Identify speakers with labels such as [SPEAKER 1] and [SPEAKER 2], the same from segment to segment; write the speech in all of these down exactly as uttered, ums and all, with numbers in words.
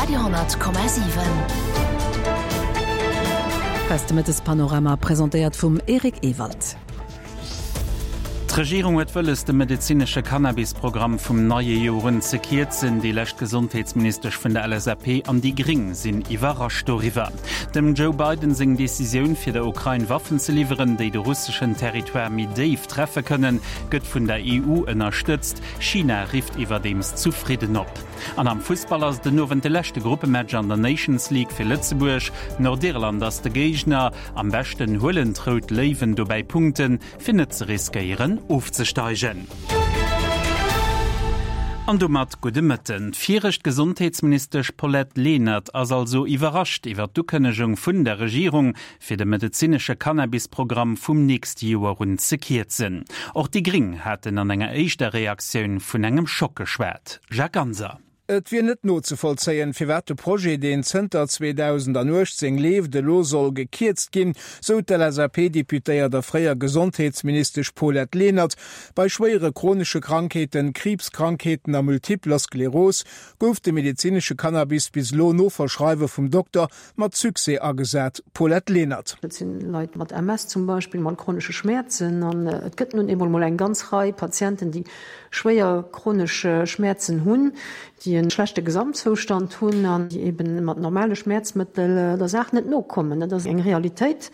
[SPEAKER 1] Radio honnert Komma siwen.
[SPEAKER 2] Hei ass de Mëttespanorama, presentéiert vum Eric Ewald.
[SPEAKER 3] D'Regierung huet wëlles, de medezinesche Cannabis-Programm vum neie Joer un ze kierzen. Déi lescht Gesondheetsministesch vun der L S A P an déi Gréng sinn iwwerrascht doriwwer. Dem Joe Biden seng Decisioun, fir der Ukrain Waffen ze liwweren, déi de russeschen Territoire méi déif treffe kënnen, gëtt vun der E U ënnerstëtzt. China rifft iwwerdeems zu Fridden op. An am Fussball ass den Owend de leschte Gruppematch an der Nations League fir Lëtzebuerg. Nordirland ass de Géigner. Am beschten huelen d'Rout Léiwen dobäi Punkten, fir net ze riskéieren ofzesteigen. An domat gudde Mëtten. D'viregt Gesondheetsministesch Paulette Lenert ass also iwwerrascht iwwer d'Ukënnegung vun der Regierung, fir de medezinesche Cannabisprogramm vum nächste Joer un ze kierzen. Och déi Gréng haten an enger éischter Reaktioun vun engem Schock geschwat. Jacques Ganser.
[SPEAKER 4] Et wier net nozevollzéien, firwat de Projet, deen zënter zweedausendanuechtzéng leeft, elo soll gekierzt ginn, sou d'L S A P-Deputéiert a fréier Gesondheetsministesch Paulette Lenert. Bei schwéiere chronesche Krankheeten, Kriibskrankheeten a multipler Skleros gouf de medezinesche Cannabis bis elo no Verschreiwe vum Dokter mat Succès agesat. Paulette Lenert.
[SPEAKER 5] Dat sinn Leit mat M S zum Beispill, mat chronesche Schmäerzen, an et gëtt nun eemol mol eng ganz Rei Patienten, déi schwéier chronesch Schmäerzen hunn, déi e schlechte Gesamtzoustand hunn an déi eben mat normale Schmäerzmëttel der Saach net nokommen. Dat ass eng Realitéit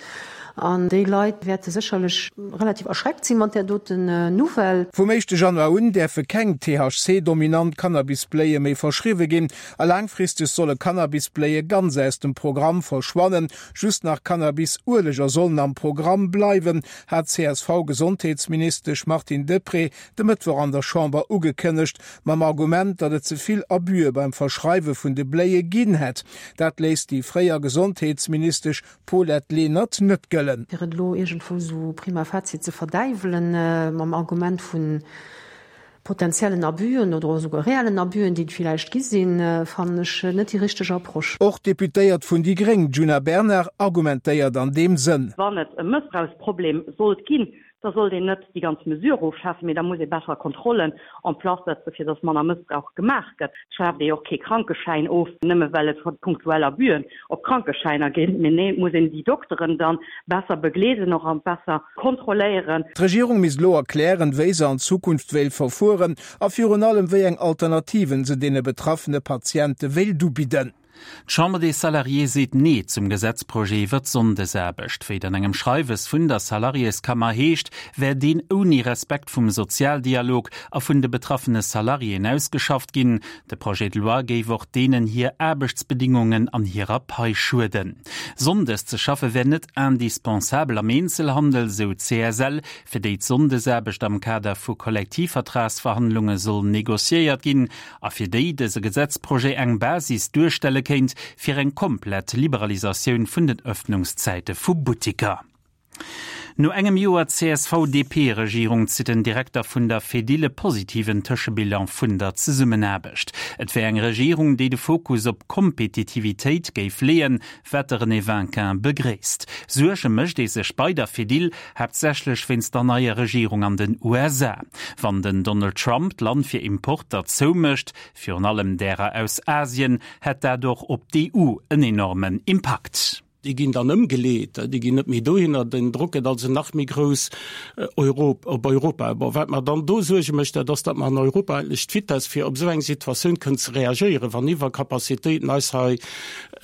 [SPEAKER 5] an déi Leit wäerte sécherlech relativ erschreckt si mat där doten Nouvelle.
[SPEAKER 4] Vum éischte Januar un däerfe keng T H C-dominant Cannabisbléie méi verschriwwe ginn a laangfristeg solle Cannabisbléie ganz aus dem Programm verschwannen. Just nach Cannabis-Ueleger sollen am Programm bleiwen, hat d'C S V-Gesondheetsministesch Martine Deprez de Mëttwoch an der Chamber ugekënnegt, mam Argument, datt et ze vill Abüe beim Verschreiwe vun de Bléie ginn hätt. Dat léisst déi fréier Gesondheetsministesch Paulette Lenert net gëllen.
[SPEAKER 5] Fir et elo iergendwou sou prima facie ze verdäiwelen, mam Argument vu potenziellen Abüen oder esouguer reellen Abüen, déi et villäicht gi sinn, fannen ech net déi richteg Approche.
[SPEAKER 4] Och d'Deputéiert vun déi Gréng, Djuna Bernard, argumentéiert an deem Sënn.
[SPEAKER 6] Wann et e Mëssbrauchsproblem sollt ginn, da sollt een net déi ganz Mesure ofschafen, mee da muss ee besser Kontrollen en place setzen, fir dass manner Mëssbrauch gemaach gëtt. Et schaaft ee jo och kee Krankeschäin of, nëmme well et punktuell Abüen op Krankeschäiner ginn, mee nee, et muss een déi Dokteren dann besser begleeden och a besser kontrolléieren.
[SPEAKER 4] D'Regierung misst elo erklären, wéi se an Zukunft wéilt verfueren a virun allem wéi eng Alternativen se deene betraffene Patiente wéilt ubidden.
[SPEAKER 3] D'Chambre des Salariés seet Nee zum Gesetzprojet iwwer d'Sonndesaarbecht. Wéi et an engem Schreiwes vun der Salariéskammer heescht, wär deen ouni Respekt vum Sozialdialog a vun de betraffene Salariéen ausgeschafft ginn. De Projet de loi géif och deenen hir Aarbechtsbedingungen an hirer Pai schueden. Sonndes ze schaffe wär net indispensabel am Eenzelhandel, sou d'C S L, fir déi d'Sonndesaarbecht am Kader vu Kollektivvertragsverhandlunge soll negociéiert ginn a fir déi dëse Gesetzprojet eng Basis duerstelle kéint fir eng komplett Liberalisatioun vun den Ëffnungszäite vu Buttiker. No engem Joer C S V-D P-Regierung zitt den Direkter vun der Fedil e positiven Tëschebilan vun der Zesummenaarbecht. Et wär eng Regierung, déi de Fokus op Kompetitivitéit géif leeën, wat de René Winkin begréisst. Suerge mécht ee sech bei der Fedil haaptsächlech wéinst der neier Regierung an den U S A. Wann den Donald Trump d'Land fir Importer zoumécht, virun allem därer aus Asien, hätt dat och op d'E U en enormen Impakt.
[SPEAKER 7] Déi ginn dann ëmgeleet, déi ginn net méi dohinner, den Drock gëtt also nach méi grouss op Europa. Bon, wat mer dann do Suerge mécht, dat ass, datt mer an Europa eigentlech d'Vitesse, fir op esou eng Situatioun kënnen ze reagéieren, wann Iwwercapacitéiten eis hei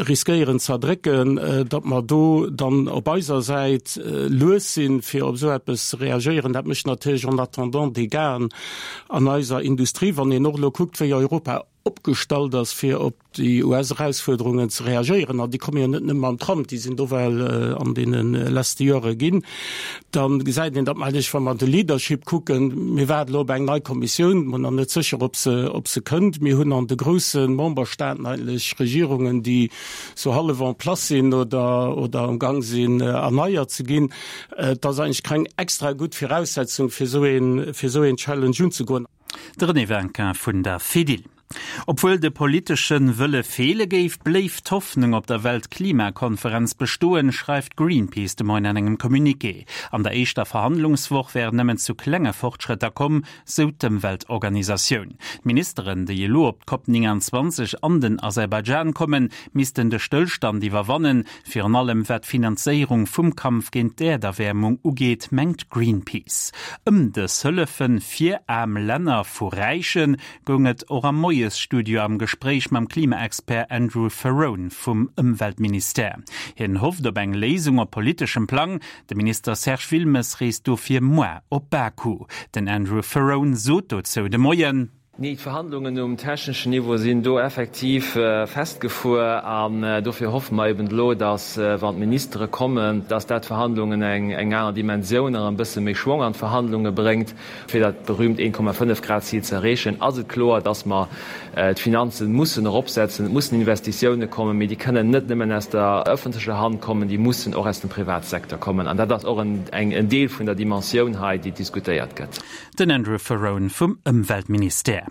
[SPEAKER 7] riskéieren ze erdrécken, datt mer do dann op eiser Säit lues sinn, fir op esou eppes ze reagéieren. Dat mécht natierlech en attendant Dégâten an eiser Industrie, wann een och elo kuckt, wéi Europa opgestallt ass, fir op déi U S-Erausfuerderungen ze reagéieren, an déi komme jo net nëmme mam Trump, déi sinn do well an deene leschte Jore ginn, dann gesäit een, datt mer eigentlech, wa mer de Leadership kucken, mir waarden elo op eng nei Kommissioun, mer nach net sécher, ob se, ob se kënnt. Mir hunn an de grousse Memberstaaten eigentlech Regierungen, déi sou hallef en place sinn oder, oder am Gang sinn, erneiert ze ginn. Et ass eigentlech keng extra gutt Viraussetzung, fir esou een, fir esou een Challenge unzegoen.
[SPEAKER 3] De René Winkin vun der Fedil. Obwuel de politesche Wëlle feele géif, bléif d'Hoffnung op der Weltklimakonferenz bestoen, schreift Greenpeace de Moien an engem Communiqué. An der éischter Verhandlungswoch wär et nëmmen zu klenge Fortschrëtter komm, sou d'Ëmweltorganisatioun. D'Ministeren, déi elo op d'Cop neunundzwanzeg an den Aserbaidschan kommen, missten de Stëllstand iwwerwannen, virun allem wat d'Finanzéierung vum Kampf géint d'Äerderwäermung ugeet, mengt Greenpeace. Ëm dës Hëllefe fir aarm Länner vu Räiche goung et och am Moiesstudio am Gespréich mam Klimaexpert Andrew Ferrone vum Ëmweltministère. Hien hofft op eng Léisung op politeschem Plang. De Minister Serge Wilmes reest dofir muer op Baku. Den Andrew Ferrone sot dozou de Moien.
[SPEAKER 1] Nee, d'Verhandlungen um techneschen Niveau sinn do effektiv festgefuer an dofir hoffe mer eben elo, datt, wann d'Ministere kommen, datt dat d'Verhandlungen eng aner Dimensioun an e bësse méi Schwong an d'Verhandlunge bréngt. Fir dat berühmt een Komma fënnef Grad Zil ze erreechen, ass et kloer, datt mer d'Finanze mussen eropsetzen. Et mussen Investitioune kommen, mee déi kënnen net nëmmen aus der ëffentlecher Hand kommen, déi mussen och aus dem Privatsecteur kommen. An dat ass och en Deel vun der Dimensioun hei, déi diskutéiert gëtt.
[SPEAKER 3] Den Andrew Ferrone vum Ëmweltministère.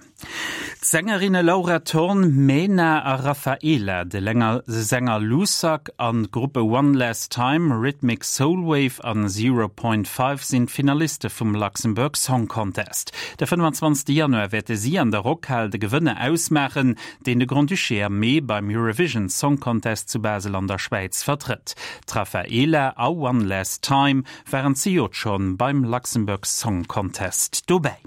[SPEAKER 3] D'Sängerinne Laura Thorn, Mena a Raphaela, de Sänger Lusak an d'Gruppe One Last Time, Rhythmic Soulwave an Zero Point Five sinn d'Finaliste vum Luxembourg Song Contest. De fënnefenzwanzegste Januar wäerte si an der Rockhal de Gewënner ausmaachen, deen de Grand-Duché am Mee beim Eurovision Song Contest zu Basel an der Schwäiz vertrëtt. D'Raphaela a One Last Time waren zejoert schonn beim Luxembourg Song Contest dobäi.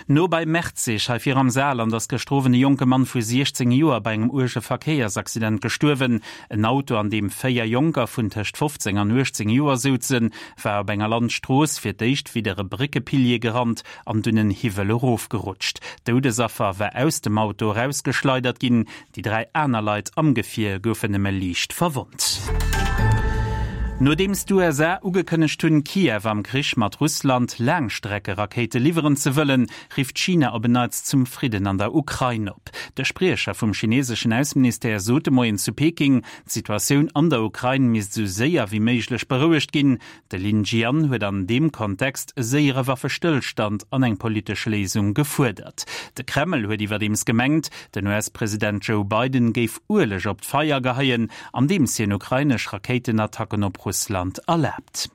[SPEAKER 3] No bei Merzig, hei vir am Saarland, ass gëschter Owend e jonke Mann vu siechzéng Joer bei engem uerge Verkéiersaccident gestuerwen. En Auto, an deem véier Jonker vun tëscht fofzéng an uechtzéng Joer souzen, war op enger Landstrooss fir d'éischt widder e Bréckepilier gerannt an dunn en Hiwwel erofgerutscht. D'Doudesaffer war aus dem Auto erausgeschleidert ginn. Déi dräi aner Leit am Gefier goufen nëmme liicht verwonnt. Nodeems d'USA ugekënnegt hunn, Kiew am Krich mat Russland Laangstreckerakéite liwweren ze wëllen, rifft China op en Neits zum Fridden an der Ukrain op. De Spriecher vum chineseschen Ausseministère sot de Moien zu Peking, d'Situatioun an der Ukrain misst esou séier wéi méiglech berouegt ginn. De Lin Jian huet an deem Kontext e séiere Waffestëllstand an eng politesch Léisung gefuerdert. De Kreml huet iwwerdeems gemengt, den U S-President Joe Biden géif Ueleg op d'Feier geheien, andeems hien ukrainesch Rakéitenattacken op Russland erlaabt.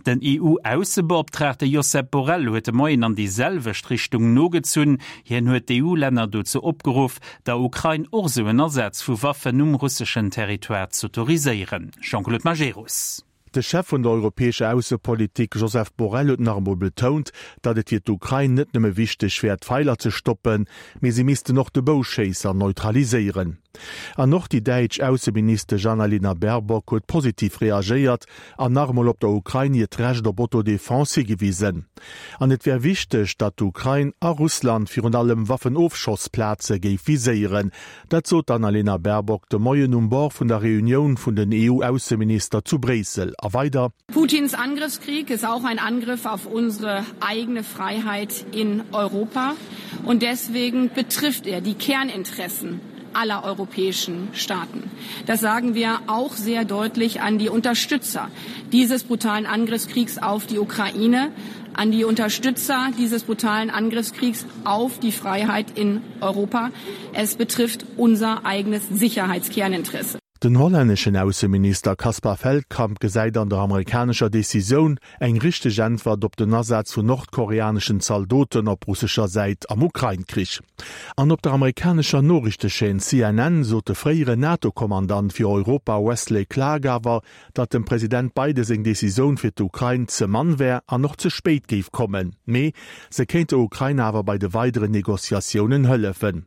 [SPEAKER 3] Den E U-Aussebeoptraagte Josep Borrell huet de Moien an déi selwecht Richtung nogezunn. Hien huet d'E U-Länner dozou opgeruff, der Ukrain och sou en Asaz vu Waffen um russeschen Territoire z'autoriséieren. Jean-Claude Majerus.
[SPEAKER 8] De Chef vun der europäescher Aussepolitik Josep Borrell huet nach emol betount, datt et fir d'Ukrain net nëmme wichteg wär d'Feiler ze stoppen, mee si missten och de Bouschéisser neutraliséieren. An och déi däitsch Ausseministesch Annalena Baerbock huet positiv reagéiert an nach emol op der Ukrain hiert Recht op Autodefense higewisen. An et wär wichteg, datt d'Ukrain a Russland virun allem Waffenofschossplaze géif viséieren. Dat sot d'Annalena Baerbock de Moien um Bord vun der Reunioun vun den E U-Ausseminister zu Bréissel. A weider.
[SPEAKER 9] Putins Angriffskrieg ist auch ein Angriff auf unsere eigene Freiheit in Europa. Und deswegen betrifft er die Kerninteressen aller europäischen Staaten. Das sagen wir auch sehr deutlich an die Unterstützer dieses brutalen Angriffskriegs auf die Ukraine, an die Unterstützer dieses brutalen Angriffskriegs auf die Freiheit in Europa. Es betrifft unser eigenes Sicherheitskerninteresse.
[SPEAKER 8] Den hollänneschen Ausseminister Caspar Veldkamp gesäit an der amerikanescher Decisioun eng richteg Äntwert op den Asaz vun nordkoreaneschen Zaldoten op russescher Säit am Ukrain-Krich. An op der amerikanescher Noriichtechaîne C N N sot de fréieren NATO-Kommandant fir Europa Wesley Clark awer, datt dem President Biden seng Decisioun fir d'Ukrain ze mann wär an och ze spéit géif kommen. Mee se kéint der Ukrain awer bei de weideren Negociatiounen hëllefen.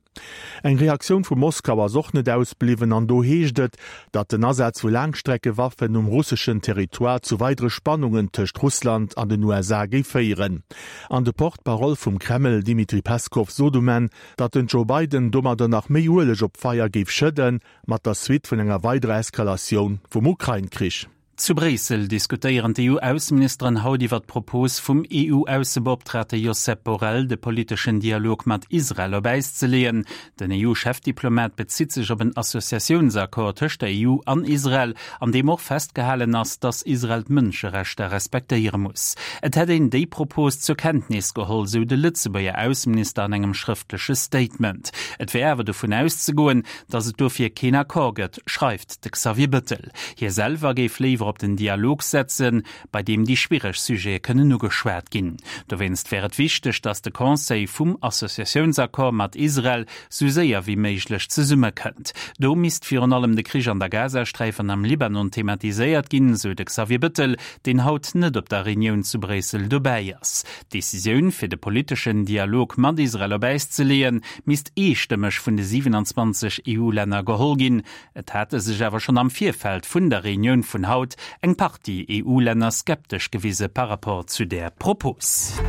[SPEAKER 8] Eng Reaktioun vu Moskau ass och net ausbliwwen an do heescht et, datt den Asaz vu Laangstreckewaffen um russeschen Territoire zu weidere Spannungen tëscht Russland an den U S A géif féieren. An de Porte-parole vum Kreml Dmitri Peskov sot um Enn, datt den Joe Biden domadder nach méi Ueleg op d'Feier géif schëdden, mat der Suite vun enger weiderer Eskalatioun vum Ukrain-Krich.
[SPEAKER 3] Zu Bréissel diskutéieren d'EU-Ausseministeren haut iwwer d'Propos vum EU-Aussebeoptraagte Josep Borrell, de politeschen Dialog mat Israel op Äis ze leeën. Den EU-Chefdiplomat bezitt sech op en Associatiounsaccord tëscht der EU an Israel, an deem och festgehalen ass, datt Israel d'Mënscherechter respektéiere muss. Et hätt een déi Propos zur Kenntnis geholl, sou de Lëtzebuerger Ausseminister an engem schrëftleche Statement. Et wär awer dovun auszegoen, datt et dofir keen Accord gëtt, schreift de Xavier Bettel. Hie selwer géif léiwer op den Dialog setzen, bei deem déi schwiereg Sujete kënnen ugeschwat ginn. Dowéinst wär et wichteg, datt de Conseil vum Associatiounsaccord mat Israel sou séier wéi méiglech zesummekënnt. Do misst virun allem de Krich an der Gazasträif an am Libanon thematiséiert ginn, sou de Xavier Bettel, deen haut net op der Reunioun zu Bréissel dobäi ass. D'Decisioun, fir de politeschen Dialog mat Israel op Äis ze leeën, misst eestëmmeg vun de siwenanzwanzeg EU-Länner geholl ginn. Et hate sech awer schonn am Virfeld vun der Reunioun vun haut eng Partie EU-Länner skeptesch gewise par rapport zu där Propos.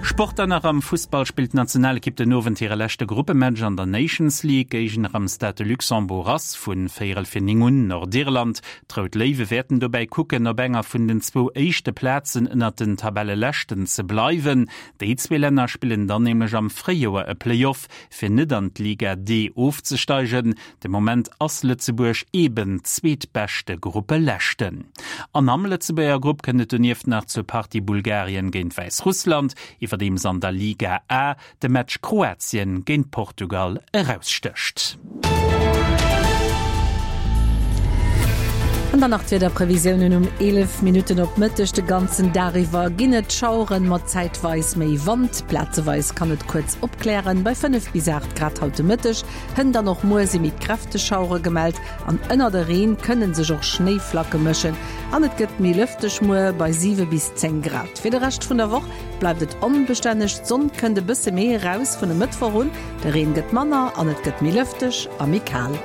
[SPEAKER 3] Sport dann nach, Am Fussball spillt d'Nationalekipp den Owend hire leschte Gruppematch an der Nations League. Géigner am Stade de Luxembourg ass vu véierel fir néng un Nordirland. D'Rout Léiwe wäerten dobäi kucken, op enger vun den zwou éischte Plazen ënnert den Tabelleleschten ze bleiwen. Déi zwee Länner spillen dann nämlech am Fréijoer e Playoff, fir net an d'Liga D ofzesteigen. De Moment ass Lëtzebuerg eben zweetbeschte Gruppeleschten. An am Lëtzebuerger Grupp kënnt et donieft nach zur Partie Bulgarien géint Wäissrussland, iwwerdeems an der Liga A de Match Kroatien géint Portugal erausstécht.
[SPEAKER 2] An dann nach d'Wiederprevisiounen um eelef Minutten op Mëtteg. De ganzen Dag iwwer ginn et Schaueren mat zäitweis méi Wand. Plazeweis kann et kuerz opklären, bei fënnef bis aacht Grad haut de Mëtteg. Hënt an och muer si méi kräfteg Schauere gemellt an ënner de Reen kënne sech och Schnéiflacke mëschen an et gëtt méi lëfteg muer bei siwe bis zéng Grad. Fir de Rescht vun der Woch bleift et onbestänneg, d'Sonn kënnt e bësse méi eraus vun e Mëttwoch un, de Reen gëtt manner an et gëtt méi lëfteg a méi kal.